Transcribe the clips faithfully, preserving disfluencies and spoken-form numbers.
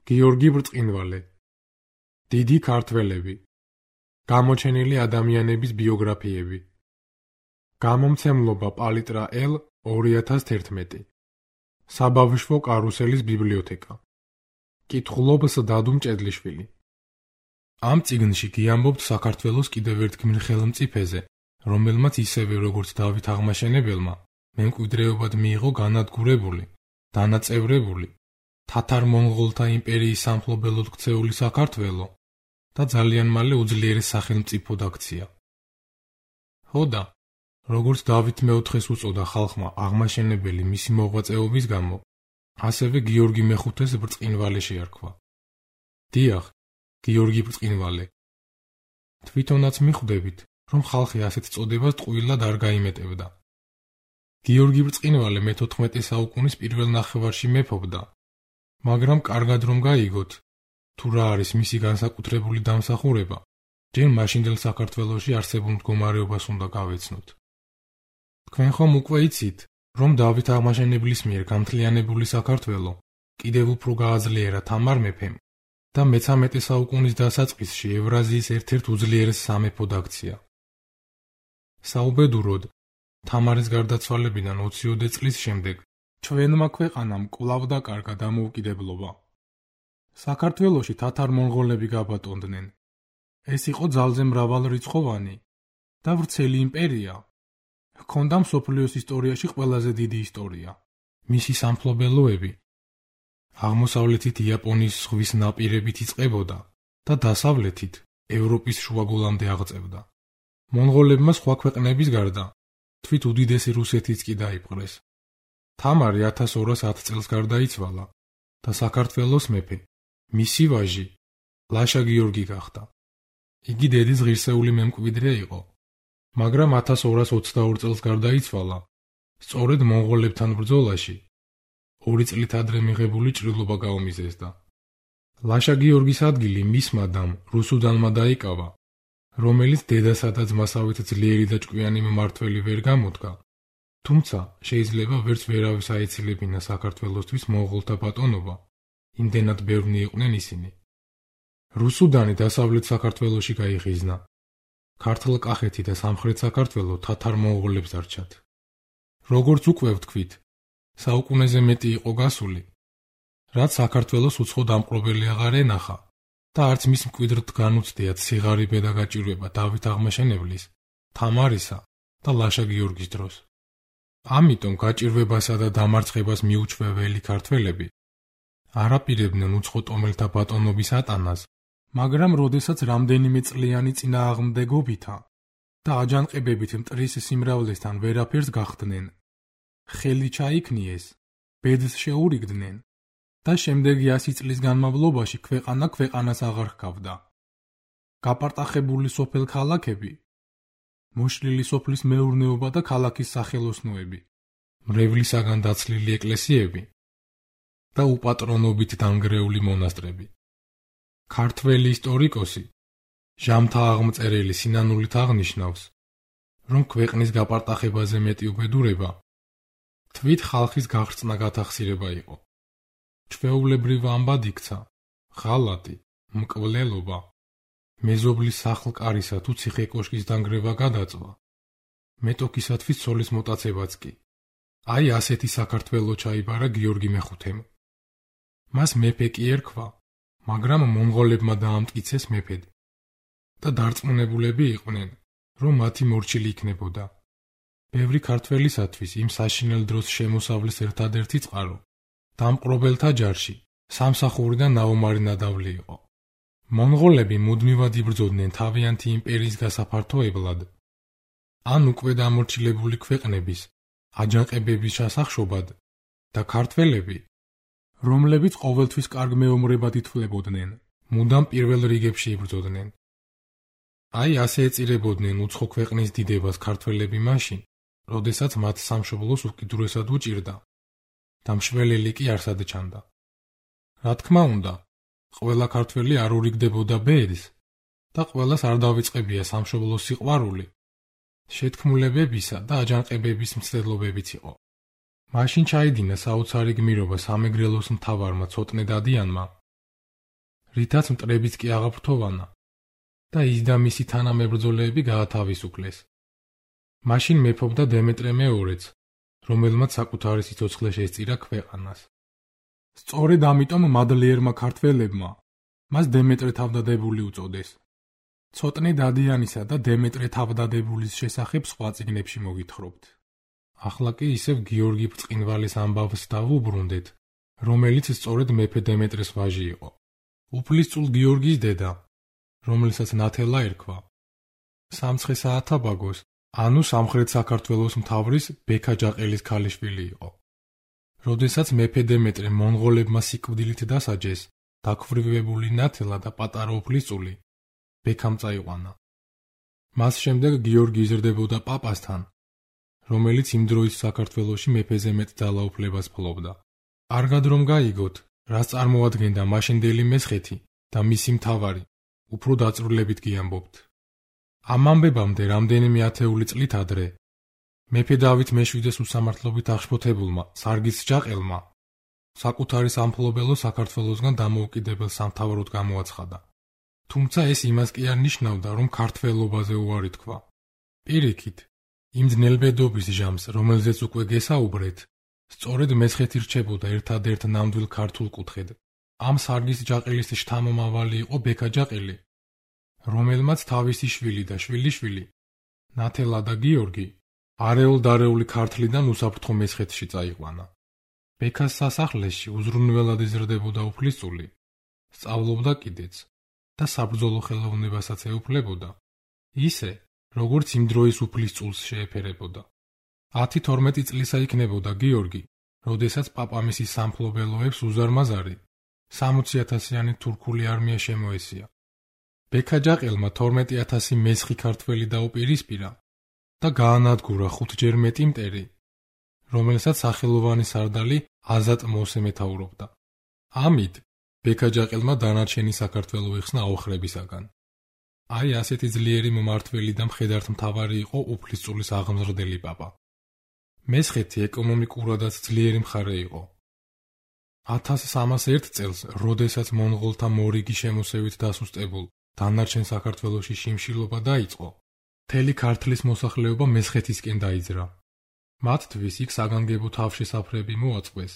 გიორგი ბრწყინვალე. დიდი ქართველები. გამოჩენილი ადამიანების ბიოგრაფიები. გამომცემლობა პალიტრა ელ ორი ათას თერთმეტი. საბავშვო კარუსელის ბიბლიოთეკა. კითხულობს დადუ მჭედლიშვილი. ამ წიგნში გიამბობთ საქართველოს კიდევ ერთ გმირ ხელმწიფეზე, რომელმაც ისევე როგორც დავით აღმაშენებელმა, მემკვიდრეობად მიიღო განადგურებული, დანაწევრებული, თათარ-მონღოლთა იმპერიის სამფლობელოდ ქცეული საქართველო და ძალიან მალე უძლიერეს სახელმწიფოდ აქცია. ხოდა, როგორც დავით მეოთხეს უწოდა ხალხმა აღმაშენებელი მისი მოღვაწეობის გამო, ასევე გიორგი მეხუთეს ბრწყინვალე შეარქვა. დიახ, გიორგი ბრწყინვალე. თვითონაც მიხვდებით, რომ ხალხი ასეთ წოდებას ტყუილად არ გაიმეტებდა. გიორგი ბრწყინვალე მეთოთხმეტე საუკუნის პირველ ნახევარში მეფობდა, მაგრამ კარგად რომ გაიგოთ, თუ რა არის მისი განსაკუთრებული დამსახურება, ჯერ მაშინდელ საქართველოში არსებულ მდგომარეობას უნდა გავეცნოთ. თქვენ ხომ უკვე იცით, რომ დავით აღმაშენებლის მიერ გამთლიანებული საქართველო კიდევ უფრო გააძლიერა თამარ მეფემ და მეთორმეტე საუკუნის დასაწყისში ევრაზიის ერთ-ერთ უძლიერეს სამეფოდ აქცია. საუბედუროდ, თამარის გარდაცვალებიდან ოციოდე წლის შემდეგ ჩვენმა ქვეყანამ კვლავ დაკარგა დამოუკიდებლობა. საქართველოში თათარ-მონღოლები გაბატონდნენ. ეს იყო ძალზე მრავალრიცხოვანი და ვრცელი იმპერია. ჰქონდა მსოფლიოს ისტორიაში ყველაზე დიდი ისტორია. მისი სამფლობელოები აღმოსავლეთით იაპონიის ზღვის ნაპირებით იწყებოდა და დასავლეთით ევროპის შუაგულამდე აღწევდა. მონღოლებმა სხვა ქვეყნების გარდა თვით უდიდესი რუსეთიც კი დაიპყრეს. თამარი ათას ორას ათ წელს გარდაიცვალა და საქართველოს მეფე, მისი ვაჟი, ლაშა გიორგი გახდა. იგი დედის ღირსეული მემკვიდრე იყო, მაგრამ ათას ორას ოცდაორ წელს გარდაიცვალა, სწორედ მონღოლებთან ბრძოლაში, ორი წლით ადრე მიღებული ჭრილობა გაუმიზესდა. ლაშა გიორგის ადგილი მისმა დამ რუსუდანმა დაიკავა, რომელიც დედასა და ძმასავით ძლიერი და ჭკვიანი მმართველი ვერ გამოდგა, თუმცა შეიძლება ვერც ვერავის აეცილებინა საქართველოსთვის მონღოლთა ბატონობა, იმდენად ბევრნი იყვნენ ისინი. რუსუდანი დასავლეთ საქართველოში გაიხიზნა. ქართლ-კახეთი და სამხრეთ საქართველო თათარ-მონღოლებს დარჩათ. როგორც უკვე ვთქვით, საუკუნეზე მეტი იყო გასული, რაც საქართველოს უცხო დამპყრობელი აღარ ენახა და არც მის მკვიდრთ განუცდიათ სიღარიბე და გაჭირვება დავით აღმაშენებლის, თამარისა და ლაშა გიორგის დროს. ამიტომ გაჭირვებასა და დამარცხებას მიუჩვეველი ქართველები არ აპირებდნენ უცხო ტომელთა ბატონობის ატანას, მაგრამ როდესაც რამდენიმე წლიანი წინააღმდეგობითა და აჯანყებებით მტრის სიმრავლესთან ვერაფერს გახდნენ, ხელი ჩაიქნიეს, ბედს შეურიგდნენ და შემდეგი ასი წლის განმავლობაში ქვეყანა ქვეყანას აღარ ჰგავდა. გაპარტახებული სოფელ ქალაქები, მოშლილი სოფლის მეურნეობა და ქალაქის სახელოსნოები, მრევლისაგან დაცლილი ეკლესიები და უპატრონობით დანგრეული მონასტრები. ქართველი ისტორიკოსი ჟამთა აღმწერელი სინანულით აღნიშნავს, რომ ქვეყნის გაპარტახებაზე მეტი უბედურება თვით ხალხის გახრწნა გათახსირება იყო. ჩვეულებრივ ამბად იქცა ღალატი, მკვლელობა, მეზობლის სახლ-კარისა თუ ციხე-კოშკის დანგრევა გადაწვა, მეტოქისათვის ცოლის მოტაცებაც კი. აი ასეთი საქართველო ჩაიბარა გიორგი მეხუთემ. მას მეფე კი ერქვა, მაგრამ მონღოლებმა დაამტკიცეს მეფედ და დარწმუნებულები იყვნენ, რომ მათი მორჩილი იქნებოდა. ბევრი ქართველისათვის იმ საშინელ დროს შემოსავლის ერთადერთი წყარო დამპყრობელთა ჯარში სამსახური და ნაომარი ნადავლი იყო. მონღოლები მუდმივად იბრძოდნენ თავიანთი იმპერიის გასაფართოებლად, ან უკვე დამორჩილებული ქვეყნების აჯანყებების ჩასახშობად და ქართველები, რომლებიც ყოველთვის კარგ მეომრებად ითვლებოდნენ, მუდამ პირველ რიგებში იბრძოდნენ. აი ასე ეწირებოდნენ უცხო ქვეყნის დიდებას ქართველები მაშინ, როდესაც მათ სამშობლოს უკიდურესად უჭირდა და მშველელი კი არსად ჩანდა. რა თქმა უნდა, ყველა ქართველი არ ურიგდებოდა ბედს და ყველას არ დავიწყებია სამშობლოს სიყვარული, შეთქმულებებისა და აჯანყებების მცდელობებიც იყო. მაშინ ჩაიდინა საოცარი გმირობა სამეგრელოს მთავარმა ცოტნე დადიანმა რითაც მტრებიც კი აღაფრთოვანა და ის და მისი თანამებრძოლეები გაათავისუფლეს. მაშინ მეფობდა დემეტრე მეორეც, რომელმაც საკუთარი სიცოცხლე შესწირა ქვეყანას. სწორედ ამიტომ მადლიერმა ქართველებმა მას დემეტრე თავდადებული უწოდეს. ცოტნე დადიანისა და დემეტრე თავდადებულის შესახებ სხვა წიგნებში მოგითხრობთ. ახლა კი ისევ გიორგი ბრწყინვალის ამბავს დავუბრუნდეთ, რომელიც სწორედ მეფე დემეტრეს ვაჟი იყო. უფლისწულ გიორგის დედა, რომელსაც ნათელა ერქვა. სამცხე-საათაბაგოს, ანუ სამხრეთ საქართველოს მთავრის ბექა ჯაყელის ქალიშვილი იყო. როდესაც მეფე დემეტრე მონღოლებმა სიკვდილით დასაჯეს, დაქვრივებული ნათელა და პატარა უფლისწული ბექამ წაიყვანა. მას შემდეგ გიორგი იზრდებოდა პაპასთან, რომელიც იმ დროის საქართველოში მეფეზე მეტ ძალაუფლებას ფლობდა. კარგად რომ გაიგოთ, რას წარმოადგენდა მაშინდელი მესხეთი და მისი მთავარი, უფრო დაწვრილებით გიამბობთ. ამ ამბებამდე რამდენიმე ათეული წლით ადრე, მეფე დავით მეშვიდეს უსამართლობით აღშფოთებულმა სარგის ჯაყელმა საკუთარი სამფლობელო საქართველოსგან დამოუკიდებელ სამთავროდ გამოაცხადა. თუმცა ეს იმას კი არ ნიშნავდა, რომ ქართველობაზე უარი თქვა. პირიქით, იმ ძნელბედობის ჟამს, რომელზეც უკვე გესაუბრეთ, სწორედ მესხეთი რჩებოდა ერთადერთ ნამდვილ ქართულ კუთხედ. ამ სარგის ჯაყელის შთამომავალი იყო ბექა ჯაყელი, რომელმაც თავისი შვილი და შვილიშვილი, ნათელა და გიორგი, არეულ-დარეული ქართლიდან უსაფრთხო მესხეთში წაიყვანა. ბექას სასახლეში უზრუნველად იზრდებოდა უფლისწული, სწავლობდა კიდეც და საბრძოლო ხელოვნებასაც ეუფლებოდა, ისე, როგორც იმ დროის უფლისწულს შეეფერებოდა. ათი თორმეტი წლისა იქნებოდა გიორგი, როდესაც პაპამისის სამფლობელოებს უზარმაზარი, სამოცი ათასიანი თურქული არმია შემოესია. ბექა ჯაყელმა თორმეტი ათასი მესხი ქართველი დაუპირისპირა და გაანადგურა ხუთჯერ მეტი მტერი, რომელსაც სახელოვანი სარდალი აზატ მოსე მეთაურობდა. ამით ბექა ჯაყელმა დანარჩენი საქართველო იხსნა აოხრებისაგან. აი ასეთი ძლიერი მმართველი და მხედართმთავარი იყო უფლისწულის აღმზრდელი პაპა. მესხეთი ეკონომიკურადაც ძლიერი მხარე იყო. ათას სამას ერთ წელს, როდესაც მონღოლთა მორიგი შემოსევით დასუსტებულ დანარჩენ საქართველოში შიმშილობა დაიწყო, მთელი ქართლის მოსახლეობა მესხეთისკენ დაიძრა. მათთვის იქ საგანგებო თავშესაფრები მოაწყვეს,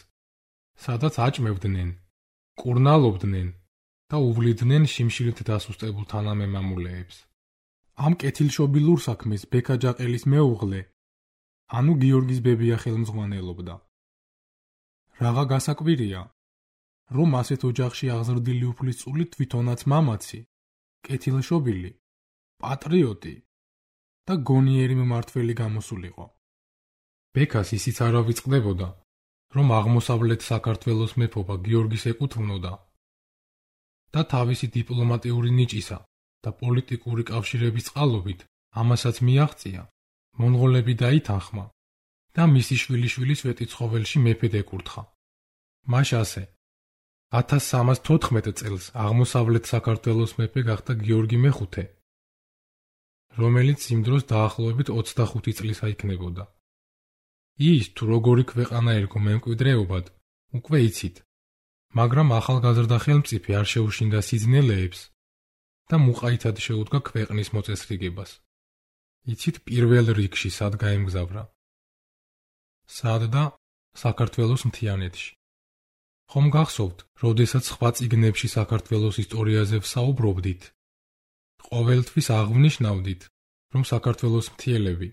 სადაც აჭმევდნენ, კურნალობდნენ და უვლიდნენ შიმშილით დასუსტებულ თანამემამულეებს. ამ კეთილშობილურ საქმეს ბექა ჯაყელის მეუღლე, ანუ გიორგის ბებია ხელმძღვანელობდა. რაღა გასაკვირია, რომ ასეთ ოჯახში აღზრდილი უფლისწული თვითონაც მამაცი, კეთილშობილი, პატრიოტი და გონიერი მმართველი გამოსულიყო. ბექას ისიც არ ავიწყდებოდა, რომ აღმოსავლეთ საქართველოს მეფობა გიორგის ეკუთვნოდა და თავისი დიპლომატიური ნიჭისა და პოლიტიკური კავშირების წყალობით ამასაც მიაღწია, მონღოლები დაითანხმა და მისი შვილიშვილის ვეტიცხოველში მეფედ ეკურთხა. მას ასე, ათას სამას თოთხმეტ წელს აღმოსავლეთ საქართველოს მეფე გახდა გიორგი მეხუთე, რომელიც იმ დროს დაახლოებით ოცდახუთი წლისა იქნებოდა. ის თუ როგორი ქვეყანა ერგო მემკვიდრეობად, უკვე იცით, მაგრამ ახალგაზრდა ხელმწიფე არ შეუშინდა სიძნელეებს და მუყაითად შეუდგა ქვეყნის მოწესრიგებას. იცით პირველ რიგში სად გაემგზავრა? სად და საქართველოს მთიანეთში. ხომ გახსოვთ, როდესაც სხვა წიგნებში საქართველოს ისტორიაზე ვსაუბრობდით, ყოველთვის აღვნიშნავდით, რომ საქართველოს მთიელები,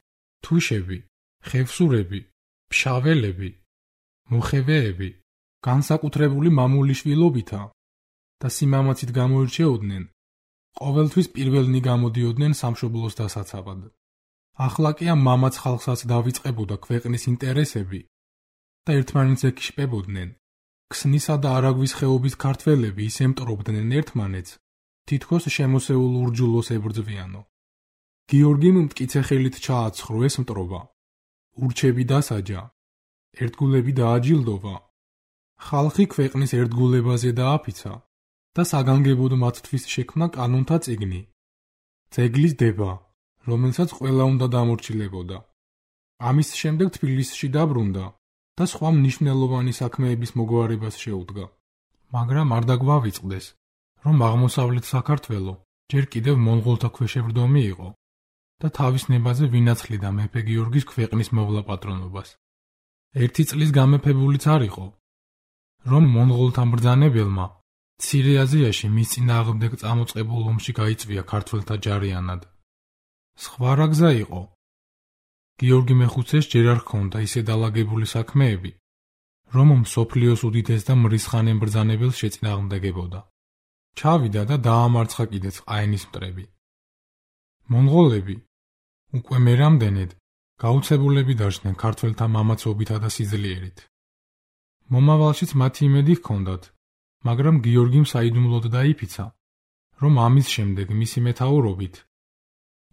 თუშები, ხევსურები, ფშაველები, მოხევეები განსაკუთრებული მამულიშვილობითა და სიმამაცით გამოირჩეოდნენ, ყოველთვის პირველნი გამოდიოდნენ სამშობლოს დასაცავად. ახლა კი ამ მამაც ხალხსაც დავიწყებოდა ქვეყნის ინტერესები და ერთმანეთს ეკიშპებოდნენ. ქსნისა და არაგვის ხეობის ქართველები ისე მტრობდნენ ერთმანეთს, თითქოს შემოსეულ ურჯულოს ებრძვიანო. გიორგიმ მტკიცე ხელით ჩააცხრო ეს მტრობა. ურჩები დასაჯა, ერთგულები დააჯილდოვა. ხალხი ქვეყნის ერთგულებაზე დააფიცა და საგანგებოდ მათთვის შექმნა კანონთა წიგნი, ძეგლის დება, რომელსაც ყველა უნდა დამორჩილებოდა. ამის შემდეგ თბილისში დაბრუნდა და სხვა მნიშვნელოვანი საქმეების მოგვარებას შეუდგა. მაგრამ არ დაგვავიწყდეს, რომ აღმოსავლეთ საქართველო ჯერ კიდევ მონღოლთა ქვეშევრდომი იყო და თავის ნებაზე ვინაცხლიდა მეფე გიორგის ქვეყნის მოვლა პატრონობას. ერთი წლის გამეფებულიც არ იყო, რომ მონღოლთა მბრძანებელმა მცირე აზიაში მის წინააღმდეგ წამოწყებულ ომში გაიწვია ქართველთა ჯარიანად. სხვა რა გზა იყო? გიორგი მეხუთეს ჯერ არ ჰქონდა ისე დალაგებული საქმეები, რომ მსოფლიოს უდიდეს და მრისხანე მბრძანებელს შეწინააღმდეგებოდა. ჩავიდა და დაამარცხა კიდეც ყაენის მტრები. მონღოლები უკვე მერამდენედ გაუცებულები დარჩნენ ქართველთა მამაცობითა და სიძლიერით. მომავალშიც მათი იმედი ჰქონდათ, მაგრამ გიორგიმ საიდუმლოდ დაიფიცა, რომ ამის შემდეგ მისი მეთაურობით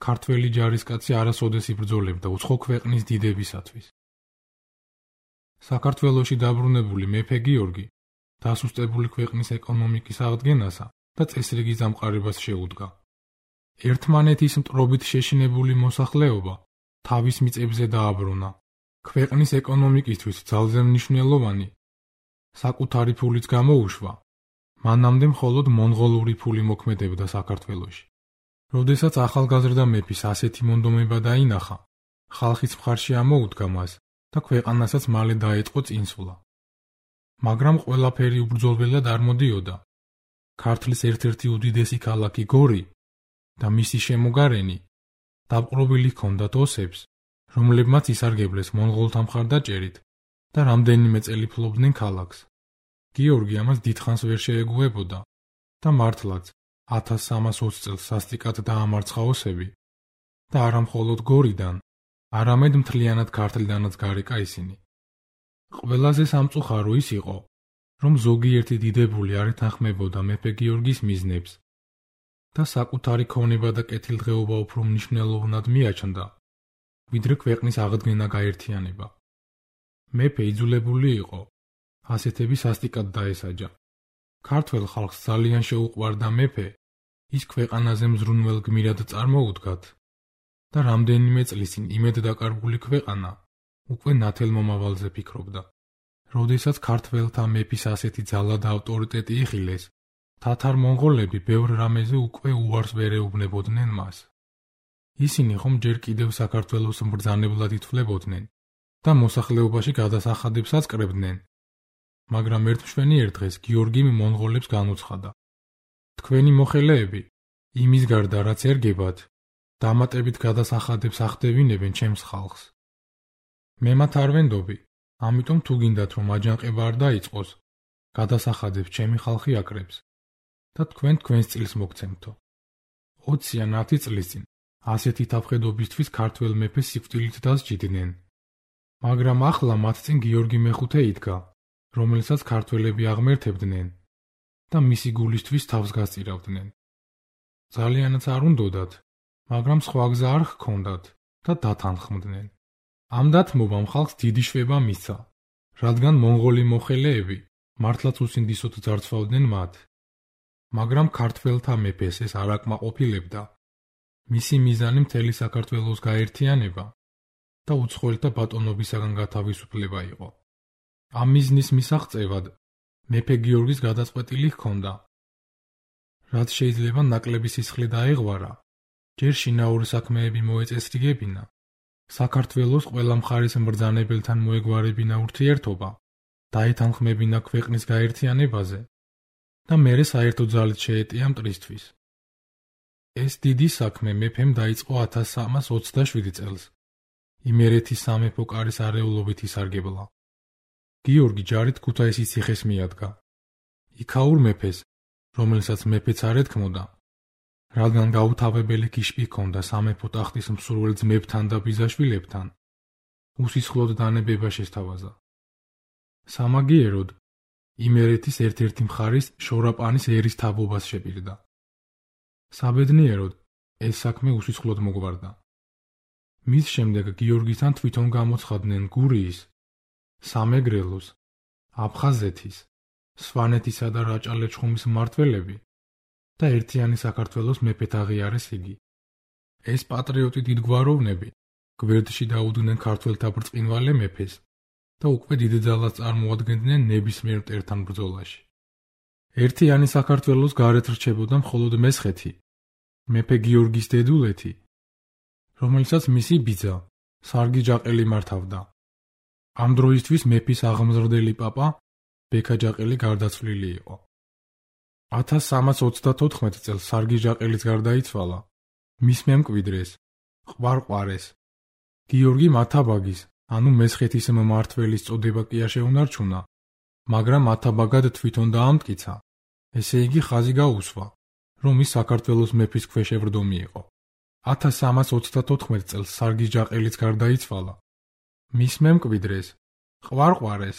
ქართველი ჯარისკაცი არასოდეს იბრძოლებდა უცხო ქვეყნის დიდებისათვის. საქართველოში დაბრუნებული მეფე გიორგი დასუსტებული ქვეყნის ეკონომიკის აღდგენასა და წესრიგის დამყარებას შეუდგა. ერთმანეთის მტრობით შეშინებული მოსახლეობა თავის მიწებზე დააბრუნა. ქვეყნის ეკონომიკისთვის ძალზე მნიშვნელოვანი საკუთარი ფულიც გამოუშვა. მანამდე მხოლოდ მონღოლური ფული მოქმედებდა საქართველოში. როდესაც ახალგაზრდა მეფის ასეთი მონდომება დაინახა, ხალხის მხარში ამოუდგა მას და ქვეყანასაც მალე დაეწყო წინსვლა. მაგრამ ყველაფერი უბრძოლველად არ მოდიოდა. ქართლის ერთ-ერთი უდიდესი ქალაქი გორი და მისი შემოგარენი დაპყრობილი ჰქონდათ ოსებს, რომლებმაც ისარგებლეს მონღოლთა მხარდაჭერით და რამდენიმე წელი ფლობდნენ ქალაქს. გიორგი ამას დიდხანს ვერ შეეგუებოდა და მართლაც ათას სამას ოცი წელს სასტიკად დაამარცხა ოსები და არა მხოლოდ გორიდან, არამედ მთლიანად ქართლიდანაც გარეკა ისინი. ყველაზე სამწუხარო ის იყო, რომ ზოგიერთი დიდებული არ ეთანხმებოდა მეფე გიორგის მიზნებს და საკუთარი ქონება და კეთილდღეობა უფრო მნიშვნელოვნად მიაჩნდა, ვიდრე ქვეყნის აღდგენა გაერთიანება. მეფე იძულებული იყო ასეთები სასტიკად დაესაჯა. ქართველ ხალხს ძალიან შეუყვარდა მეფე ის ქვეყანაზე მზრუნველ გმირად წარმოუდგათ და რამდენიმე წლის წინ იმედ დაკარგული ქვეყანა უკვე ნათელ მომავალზე ფიქრობდა. როდესაც ქართველთა მეფის ასეთი ძალა და ავტორიტეტი იხილეს, თათარ-მონღოლები ბევრ რამეზე უკვე უარს ვერ ეუბნებოდნენ მას. ისინი ხომ ჯერ კიდევ საქართველოს მბრძანებლად ითვლებოდნენ და მოსახლეობაში გადასახადებსაც კრებდნენ. მაგრამ ერთმშვენიერ დღეს გიორგიმ მონღოლებს განუცხადა: თქვენი მოხელეები იმის გარდა რაც ერგებათ, დამატებით გადასახადებს ახდევინებენ ჩემს ხალხს. მე მათ არ ვენდობი, ამიტომ თუ გინდათ რომ აჯანყება არ დაიწყოს, გადასახადებს ჩემი ხალხი აკრებს და თქვენ თქვენს წილს მოგცემთო. ოცი ან ათი წლის წინ ასეთი თავხედობისთვის ქართველ მეფეს სიკვდილით დასჯიდნენ. მაგრამ ახლა მათ წინ გიორგი მეხუთე იდგა, რომელსაც ქართველები აღმერთებდნენ და მისი გულისთვის თავს გასწირავდნენ. ძალიანაც არ უნდოდათ, მაგრამ სხვა გზა არ ჰქონდათ და დათანხმდნენ. ამ დათმობამ ხალხს დიდი შვება მისცა, რადგან მონღოლი მოხელეები მართლაც უსინდისოდ ძარცვავდნენ მათ. მაგრამ ქართველთა მეფეს ეს არ აკმაყოფილებდა. მისი მიზანი მთელი საქართველოს გაერთიანება და უცხოელთა ბატონობისაგან გათავისუფლება იყო. ამ მიზნის მისაღწევად მეფე გიორგის გადაწყვეტილი ჰქონდა. რაც შეიძლება ნაკლები სისხლი დაეღვარა, ჯერ შინაური საქმეები მოეწესრიგებინა, საქართველოს ყველა მხარის მბრძანებელთან მოეგვარებინა ურთიერთობა, დაეთანხმებინა ქვეყნის გაერთიანებაზე და მერე საერთო ძალით შეეტია მტრისთვის. ეს დიდი საქმე მეფემ დაიწყო ათას სამას ოცდაშვიდი წელს, იმერეთის სამეფო კარის არეულობით ისარგებლა. გიორგი ჯარით ქუთაისის ციხეს მიადგა. იქაურ მეფეს, რომელსაც მეფეც არ ეთქმოდა, რადგან გაუთავებელი კიშკი ჰქონდა სამეფო ტახტის მსურველ ძმებთან და ბიძაშვილებთან, უსისხლოდ დანებება შესთავაზა. სამაგიეროდ იმერეთის ერთ-ერთი მხარის შორაპანის ერისთავობას შეპირდა. საბედნიეროდ ეს საქმე უსისხლოდ მოგვარდა. მის შემდეგ გიორგისთან თვითონ გამოცხადდნენ გურიის, სამეგრელოს, აფხაზეთის, სვანეთისა და რაჭა-ლეჩხუმის მმართველები და ერთიანი საქართველოს მეფედ აღიარეს იგი. ეს პატრიოტი დიდგვაროვნები გვერდში დაუდგნენ ქართველთა ბრწყინვალე მეფეს და უკვე დიდ ძალას წარმოადგენდნენ ნებისმიერ მტერთან ბრძოლაში. ერთიანი საქართველოს გარეთ რჩებოდა მხოლოდ მესხეთი, მეფე გიორგის დედულეთი, რომელსაც მისი ბიძა, სარგი ჯაყელი მართავდა. ამ დროისთვის მეფის აღმზრდელი პაპა, ბექა ჯაყელი გარდაცვლილი იყო. ათას სამას ოცდათოთხმეტ წელს სარგი ჯაყელიც გარდაიცვალა, მის მემკვიდრეს, ყვარყვარეს, გიორგი მათაბაგის, ანუ მესხეთის მმართველის წოდება კი არ შეუნარჩუნა, მაგრამ მათაბაგად თვითონ დაამტკიცა, ესე იგი ხაზი გაუსვა, რომ ის საქართველოს მეფის ქვეშევრდომი იყო. ათას სამას ოცდათოთხმეტ წელს სარგი ჯაყელიც გარდაიცვალა, მის მემკვიდრეს, ყვარყვარეს,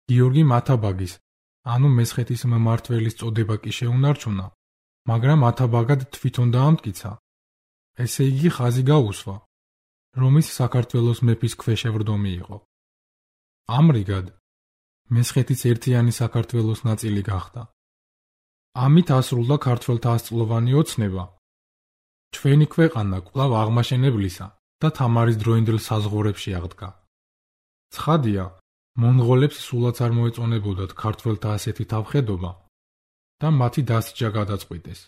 გიორგი მათაბაგის, ანუ მესხეთის მმართველის წოდება კი შეუნარჩუნა, მაგრამ მათაბაგად თვითონ დაამტკიცა, ესე იგი ხაზი გაუსვა, რომ ის საქართველოს მეფის ქვეშევრდომი იყო. ამრიგად, მესხეთის ერთიანი საქართველოს ნაწილი გახდა. ამით ასრულდა ქართველთა ასწლოვანი ოცნება. ჩვენი ქვეყანა კვლავ აღმაშენებლისა და თამარის დროინდელ საზღვრებში აღდგა. ცხადია, მონღოლებს სულაც არ მოეწონებოდათ ქართველთა ასეთი თავხედობა და მათი დასჯა გადაწყვიტეს.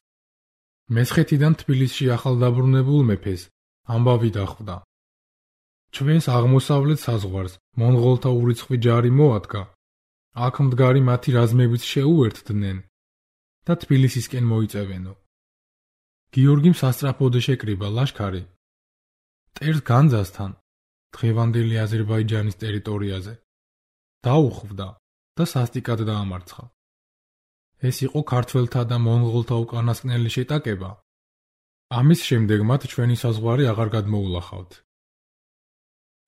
მესხეთიდან თბილისში ახალდაბრუნებულ მეფეს ამბავი დახვდა. ჩვენს აღმოსავლეთ საზღვარს მონღოლთა ურიცხვი ჯარი მოადგა, აქ მდგარი მათი რაზმებიც შეუერთდნენ და თბილისისკენ მოიწევენო. გიორგიმ სასწრაფოდ შეკრიბა ლაშქარი მტერს განძასთან დღევანდელი აზერბაიჯანის ტერიტორიაზე, დაუხვდა და სასტიკად დაამარცხა. ეს იყო ქართველთა და მონღოლთა უკანასკნელი შეტაკება. ამის შემდეგ მათ ჩვენი საზღვარი აღარ გადმოულახავთ.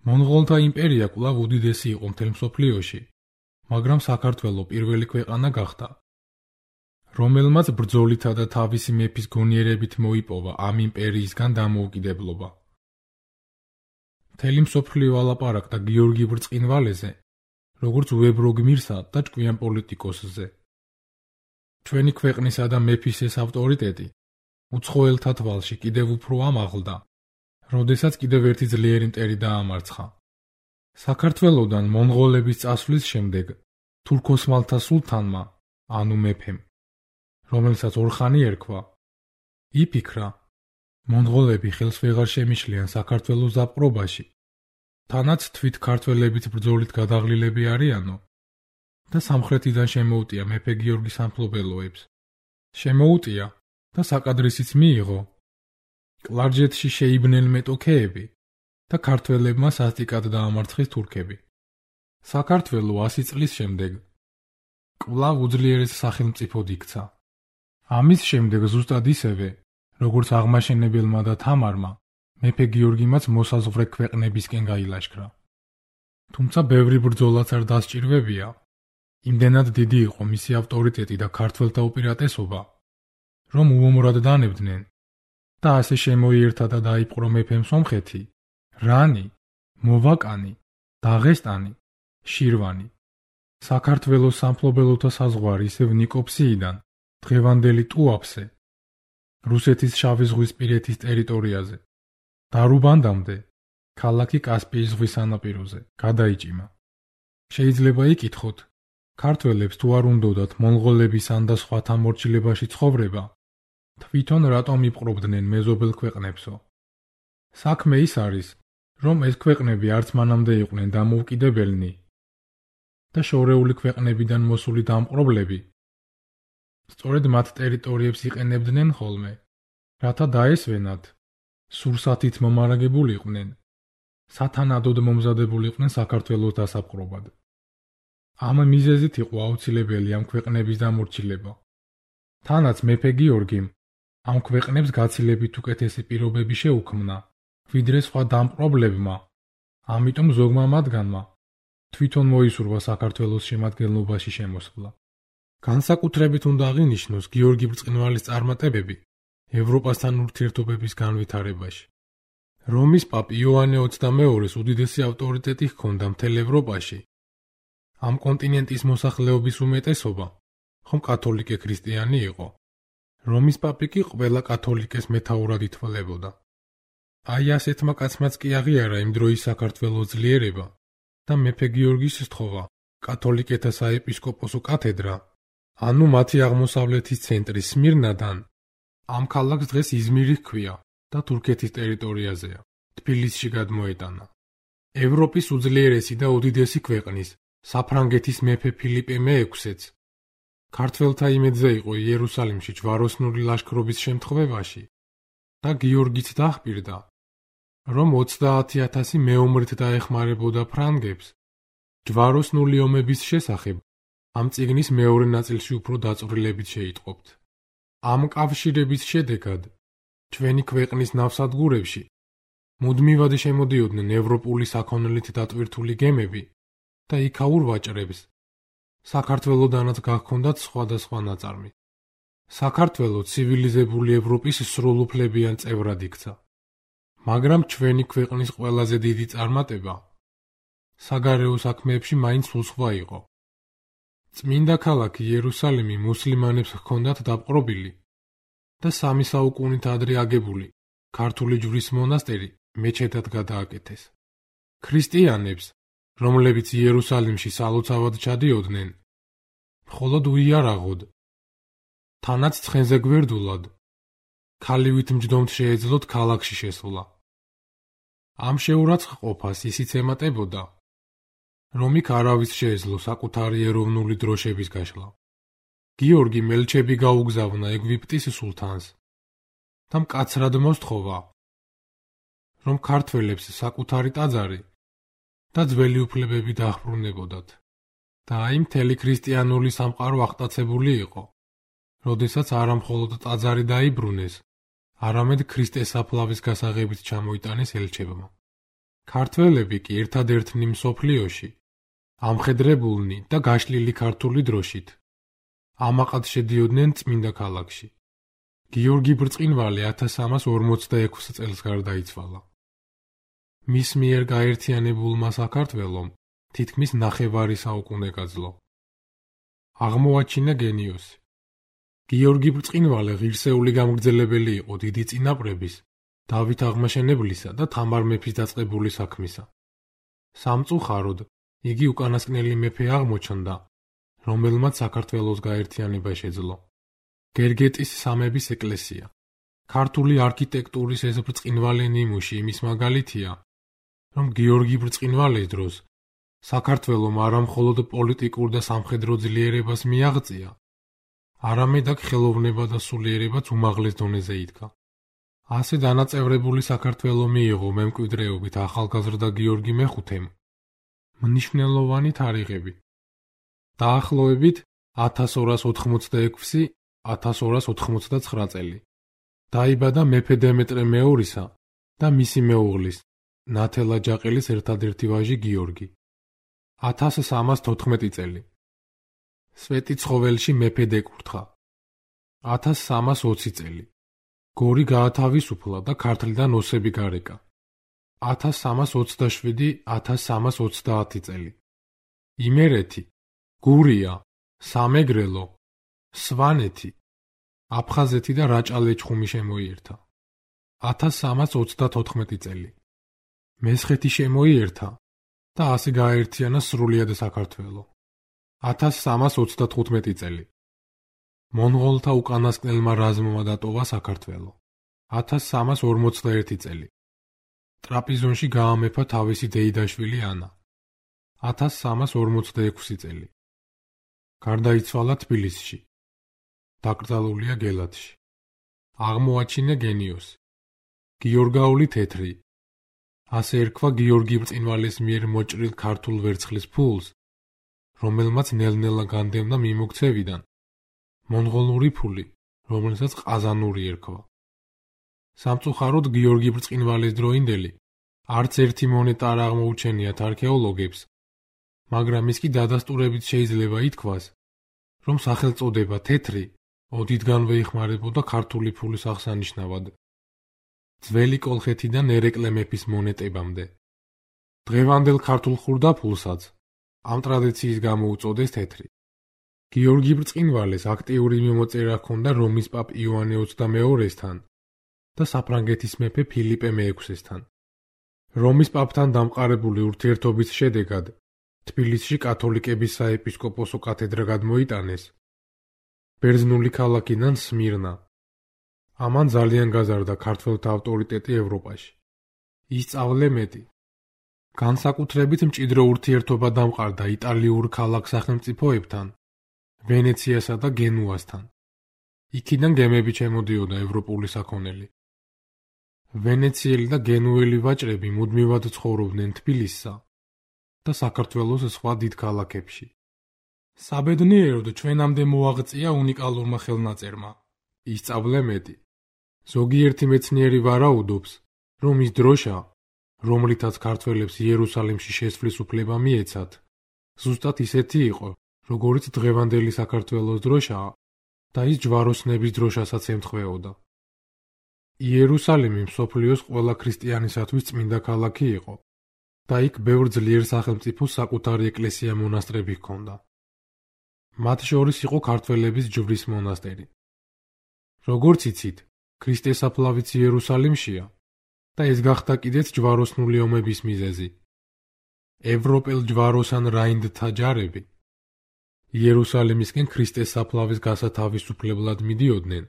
მონღოლთა იმპერია კვლავ უდიდესი იყო მთელ მსოფლიოში, მაგრამ საქართველო პირველი ქვეყანა გახდა, რომელმაც ბრძოლითა და თავისი მეფის გონიერებით მოიპოვა ამ იმპერიისგან დამოუკიდებლობა. მთელი მსოფლიო ალაპარაკდა გიორგი ბრწყინვალეზე, როგორც უებრო გმირსა და ჭკვიან პოლიტიკოსზე. ჩვენი ქვეყნისა და მეფის ეს ავტორიტეტი უცხოელთა თვალში კიდევ უფრო ამაღლდა, როდესაც კიდევ ერთი ძლიერი მტერი დაამარცხა. საქართველოდან მონღოლების წასვლის შემდეგ თურქ-ოსმალთა სულთანმა, ანუ მეფემ, რომელსაც ორხანი ერქვა, იფიქრა, მონღოლები ხელს ვეღარ შემიშლიან საქართველოს დაპყრობაში, თანაც თვით ქართველებით ბრძოლით გადაღლილები არიანო და სამხრეთიდან შემოუტია მეფე გიორგის სამფლობელოებს. შემოუტია და საკადრისიც მიიღო. კლარჯეთში შეიბნენ მეტოქეები და ქართველებმა სასტიკად დაამარცხეს თურქები. საქართველო ასი წლის შემდეგ კვლავ უძლიერეს სახელმწიფოდ იქცა. ამის შემდეგ ზუსტად ისევე, როგორც აღმაშენებელმა და თამარმა, მეფე გიორგიმაც მოსაზღვრე ქვეყნებისკენ გაილაშქრა. თუმცა ბევრი ბრძოლაც არ დასჭირვებია. იმდენად დიდი იყო მისი ავტორიტეტი და ქართველთა უპირატესობა, რომ უომრად დანებდნენ და ასე შემოიერთა და დაიპყრო მეფემ სომხეთი, რანი, მოვაკანი, დაღესტანი, შირვანი. საქართველოს სამფლობელოთა საზღვარი ისევ ნიკოპსიიდან დღევანდელი ტუაფსე, რუსეთის შავი ზღვისპირეთის ტერიტორიაზე, დარუბანდამდე, ქალაქი კასპიის ზღვის სანაპიროზე, გადაიჭიმა. შეიძლება იკითხოთ, ქართველებს თუ არ უნდოდათ მონღოლების ან და სხვათა მორჩილებაში ცხოვრება, თვითონ რატომ იპყრობდნენ მეზობელ ქვეყნებსო? საქმე ის არის, რომ ეს ქვეყნები არც მანამდე იყვნენ დამოუკიდებელნი და შორეული ქვეყნებიდან მოსული დამპყრობლები სწორედ მათ ტერიტორიებს იყენებდნენ ხოლმე, რათა დაესვენათ, სურსათით მომარაგებულიყვნენ, სათანადოდ მომზადებულიყვნენ საქართველოს დასაპყრობად. ამ მიზეზით იყო აუცილებელი ამ ქვეყნების დამორჩილება. თანაც მეფე გიორგიმ ამ ქვეყნებს გაცილებით უკეთესი პირობები შეუქმნა, ვიდრე სხვა დამპყრობლებმა, ამიტომ ზოგმა მათგანმა თვითონ მოისურვა საქართველოს შემადგენლობაში შემოსვლა. განსაკუთრებით უნდა აღინიშნოს გიორგი ბრწყინვალის წარმატებები ევროპასთან ურთიერთობების განვითარებაში. რომის პაპ იოანე ოცდამეორეს უდიდესი ავტორიტეტი ჰქონდა მთელ ევროპაში. ამ კონტინენტის მოსახლეობის უმეტესობა ხომ კათოლიკე ქრისტიანი იყო. რომის პაპი კი ყველა კათოლიკეს მეთაურად ითვლებოდა. აი ასეთმა კაცმაც კი აღიარა იმ დროის საქართველოს ძლიერება და მეფე გიორგის სთხოვა კათოლიკეთა საეპისკოპოსო კათედრა ანუ მათი აღმოსავლეთის ცენტრი სმირნადან ამ ქალაქს დღეს იზმირი ჰქვია და თურქეთის ტერიტორიაზეა. თბილისში გადმოეტანა. ევროპის უძლიერესი და უდიდესი ქვეყნის, საფრანგეთის მეფე ფილიპე მეექვსეც ქართველთა იმედზე იყო იერუსალიმში ჯვაროსნული ლაშქრობის შემთხვევაში და გიორგიც დაჰპირდა, რომ ოცდაათი ათასი მეომრით დაეხმარებოდა ფრანგებს. ჯვაროსნული ომების შესახებ ამ წიგნის მეორე ნაწილში უფრო დაწვრილებით შეიტყობთ. ამ კავშირების შედეგად ჩვენი ქვეყნის ნავსადგურებში მუდმივად შემოდიოდნენ ევროპული საქონლით დატვირთული გემები და იქაურ ვაჭრებს საქართველოდანაც გაჰქონდათ სხვადასხვა ნაწარმი. საქართველო ცივილიზებული ევროპის სრულუფლებიან წევრად იქცა. მაგრამ ჩვენი ქვეყნის ყველაზე დიდი წარმატება საგარეო საქმეებში მაინც სულსხვა იყო. წმინდა ქალაქი იერუსალიმი მუსლიმანებს ჰქონდათ დაპყრობილი და სამი საუკუნით ადრე აგებული ქართული ჯვრის მონასტერი მეჩეთად გადააკეთეს. ქრისტიანებს, რომლებიც იერუსალიმში სალოცავად ჩადიოდნენ, მხოლოდ უიარაღოდ, თანაც ცხენზე გვერდულად, ქალივით მჯდომთ შეეძლოთ ქალაქში შესვლა. ამ შეურაცხყოფას ისიც ემატებოდა, რომ იქ არავის შეეძლო საკუთარი ეროვნული დროშების გაშლა. გიორგი მელჩები გაუგზავნა ეგვიპტის სულთანს და მკაცრად მოსთხოვა, რომ ქართველებს საკუთარი ტაძარი და ძველი უფლებები დააბრუნებოდათ. და აი მთელი ქრისტიანული სამყარო აღტაცებული იყო, როდესაც არა მხოლოდ ტაძარი დაიბრუნეს, არამედ ქრისტესაფლავის გასაღებით ჩამოიტანეს ელჩებმა. ქართველები კი ერთადერთნი მსოფლიოში ამხედრებულნი და გაშლილი ქართული დროშით ამაყად შედიოდნენ წმინდა ქალაქში. გიორგი ბრწყინვალე ათას სამას ორმოცდაექვსი წელს გარდაიცვალა. მის მიერ გაერთიანებულმა საქართველომ თითქმის ნახევარი საუკუნე გაძლო. აღმოაჩინა გენიოსი. გიორგი ბრწყინვალე ღირსეული გამგრძელებელი იყო დიდი წინაპრების, დავით აღმაშენებლისა და თამარ მეფის დაწყებული საქმისა. სამწუხაროდ, იგი უკანასკნელი მეფე აღმოჩნდა, რომელმაც საქართველოს გაერთიანება შეძლო. გერგეტის სამების ეკლესია, ქართული არქიტექტურის ეს ბრწყინვალე ნიმუში იმის მაგალითია, რომ გიორგი ბრწყინვალეს დროს საქართველომ არა მხოლოდ პოლიტიკურ და სამხედრო ძლიერებას მიაღწია, არამედ აქ ხელოვნება და სულიერებაც უმაღლეს დონეზე იდგა. ასე დანაწევრებული საქართველო მიიღო მემკვიდრეობით ახალგაზრდა გიორგი მეხუთემ მნიშვნელოვანი თარიღები. დაახლოებით ათას ორას ოთხმოცდაექვსი - ათას ორას ოთხმოცდაცხრა წელი. დაიბადა მეფე დემეტრე მეორისა და მისი მეუღლის, ნათელა ჯაყელის ერთადერთი ვაჟი გიორგი. ათას სამას თოთხმეტი წელი. სვეტიცხოველში მეფე დეკურთხა. ათას სამას ოცი წელი. გორი გაათავისუფლა და ქართლიდან ოსები გარეკა. ათას სამას ოცდაშვიდი - ათას სამას ოცდაათი წელი. იმერეთი, გურია, სამეგრელო, სვანეთი, აფხაზეთი და რაჭა-ლეჩხუმი შემოიერთა. ათას სამას ოცდათოთხმეტი წელი. მესხეთი შემოიერთა და ასე გააერთიანა სრულიად საქართველო. ათას სამას ოცდათხუთმეტი წელი. მონღოლთა უკანასკნელმა რაზმმა დატოვა საქართველო. ათას სამას ორმოცდაერთი წელი. ტრაპიზონში გაამეფა თავისი დეიდაშვილი ანა. ათას სამას ორმოცდაექვსი წელი. გარდაიცვალა თბილისში. დაკრძალულია გელათში. აღმოაჩინა გენიოსი. გიორგაული თეთრი. ასე ერქვა გიორგი ბრწყინვალეს მიერ მოჭრილ ქართულ ვერცხლის ფულს, რომელმაც ნელ-ნელა განდევნა მიმოქცევიდან, მონღოლური ფული, რომელსაც ყაზანური ერქვა. სამწუხაროდ გიორგი ბრწყინვალეს დროინდელი არც ერთი მონეტა არ აღმოუჩენიათ არქეოლოგებს, მაგრამ ის კი დადასტურებით შეიძლება ითქვას, რომ სახელწოდება თეთრი ოდითგანვე იხმარებოდა ქართული ფულის აღსანიშნავად. ძველი კოლხეთიდან ერეკლე მეფის მონეტებამდე. დღევანდელ ქართულ ხურდაფულსაც ამ ტრადიციის გამო უწოდეს თეთრი. გიორგი ბრწყინვალეს აქტიური მიმოწერა ჰქონდა რომის პაპ იოანე ოცდამეორესთან და საფრანგეთის მეფე ფილიპე მეექვსესთან. რომის პაპთან დამყარებული ურთიერთობის შედეგად თბილისში კათოლიკების საეპისკოპოსო კათედრა გადმოიტანეს ბერძნული ქალაქიდან სმირნა. ამან ძალიან გაზარდა ქართველთა ავტორიტეტი ევროპაში. ისწავლე მეტი. განსაკუთრებით მჭიდრო ურთიერთობა დამყარდა იტალიურ ქალაქ სახელმწიფოებთან, ვენეციასა და გენუასთან. იქიდან გემები შემოდიოდა ევროპული საქონელი. ვენეციელი და გენუელი ვაჭრები მუდმივად ცხოვრობდნენ თბილისსა და საქართველოს სხვა დიდ ქალაქებში. საბედნიეროდ ჩვენამდე მოაღწია უნიკალურმა ხელნაწერმა. ისწავლე მეტი. ზოგიერთი მეცნიერი ვარაუდობს, რომ ის დროშა, რომლითაც ქართველებს იერუსალიმში შესვლის უფლება მიეცათ, ზუსტად ისეთი იყო, როგორიც დღევანდელი საქართველოს დროშაა და ის ჯვაროსნების დროშასაც ემთხვეოდა. იერუსალიმი მსოფლიოს ყველა ქრისტიანისათვის წმინდა ქალაქი იყო და იქ ბევრ ძლიერ სახელმწიფოს საკუთარი ეკლესია-მონასტრები ჰქონდა. მათ შორის იყო ქართველების ჯვრის მონასტერი. როგორც იცით, ქრისტესაფლავიც იერუსალიმშია და ეს გახდა კიდეც ჯვაროსნული ომების მიზეზი. ევროპელ ჯვაროსან რაინდთა ჯარები იერუსალიმისკენ ქრისტესაფლავის გასათავისუფლებლად მიდიოდნენ,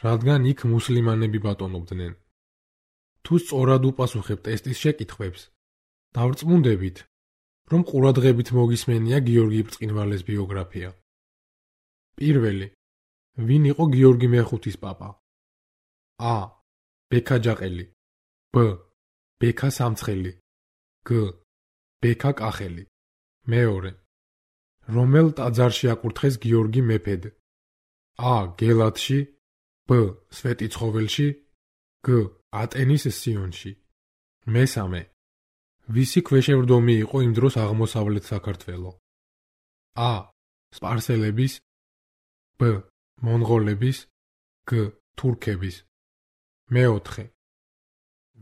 რადგან იქ მუსლიმანები ბატონობდნენ. თუ სწორად უპასუხებთ ტესტის შეკითხვებს, დავრწმუნდებით, რომ ყურადღებით მოგისმენია გიორგი ბრწყინვალეს ბიოგრაფია. პირველი, ვინ იყო გიორგი მეხუთის პაპა? ა. ბექა ჯაყელი. ბ. ბექა სამცხელი. გ. ბექა კახელი. მეორე, რომელ ტაძარში აკურთხეს გიორგი მეფედ? ა. გელათში. ბ. სვეტიცხოველში. გ. ატენის სიონში. მესამე, ვისი ქვეშევრდომი იყო იმ დროს აღმოსავლეთ საქართველო? ა. სპარსელების. ბ. მონღოლების. გ. თურქების. მეოთხე,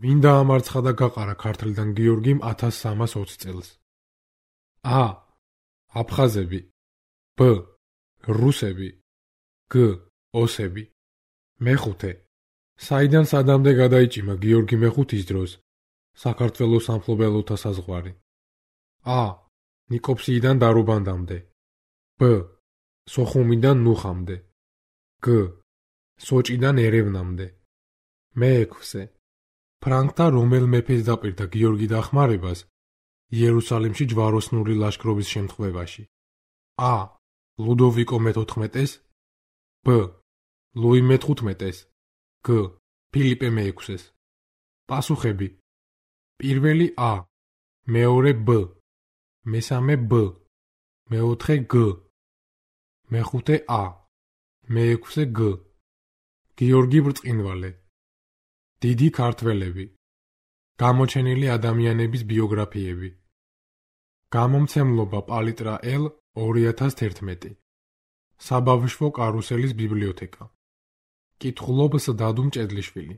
ვინ დაამარცხა და გაყარა ქართლიდან გიორგიმ ათას სამას ოცი წელს? ა. აფხაზები. ბ. რუსები. გ. ოსები. მეხუთე, საიდან სადამდე გადაიჭიმა გიორგი მეხუთის დროს საქართველოს სამფლობელოთა საზღვარი? ა. ნიკოფსიიდან დარუბანდამდე. ბ. სოხუმიდან ნუხამდე. გ. სოჭიდან ერევნამდე. მეექვსე, ფრანკთა რომელ მეფეს დაპირდა გიორგი დახმარებას იერუსალიმში ჯვაროსნული ლაშქრობის შემთხვევაში? ა. ლუდოვიკო მეთოთხმეტეს. ბ. ლუი მეთხუთმეტეს. გ. ფილიპე მეექვსეს. პასუხები: პირველი ა. მეორე ბ. მესამე ბ. მეოთხე გ. მეხუთე ა. მეექვსე გ. გიორგი ბრწყინვალე. დიდი ქართველები. გამოჩენილი ადამიანების ბიოგრაფიები. გამომცემლობა პალიტრა ელ ორი ათას თერთმეტი. საბავშვო კარუსელის ბიბლიოთეკა. კითხულობს დადუ მჭედლიშვილი.